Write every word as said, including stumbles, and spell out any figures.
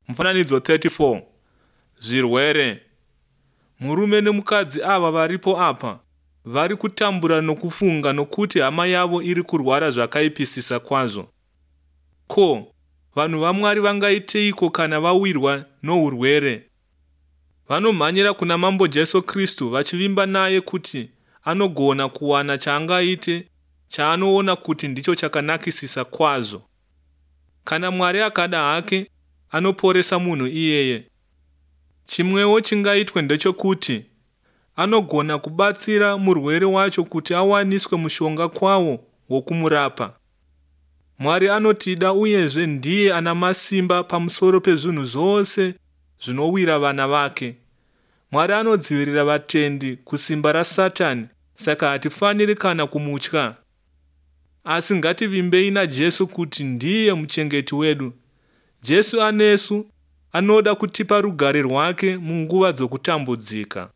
Mufananidzo thirty four. Zvirwere. Murume nemukadzi ava varipo apa vari kutambura nokufunga nokuti hama yavo iri kurwara zvakaipisisa kwazvo. Ko, vanhu vaMwari vangaiteiko kana vawirwa nourwere? Vanomhanyira kuna Mambo Jesu Kristu vachivimba naye kuti anogona kuwana chaangaite chaanoona kuti ndicho chakanakisisa kwazvo. Kana Mwari akada hake, anoporesa munhu iyeye. Chimwewo chingaitwe ndechokuti anogona kubatsira murwere wacho kuti awaniswe mushonga kwawo wokumurapa. Mwari anotida uyezve ndiye ana masimba pamusoro pezvinhu zvose zvinowira vana vake. Mwari anodzivirira vatendi kusimba raSatani, saka hatifaniri kana kumutya. Asi ngativimbei naJesu kuti ndiye muchengeti wedu. Jesu anesu, anoda kutipa rugare rwake munguva dzokutambudzika.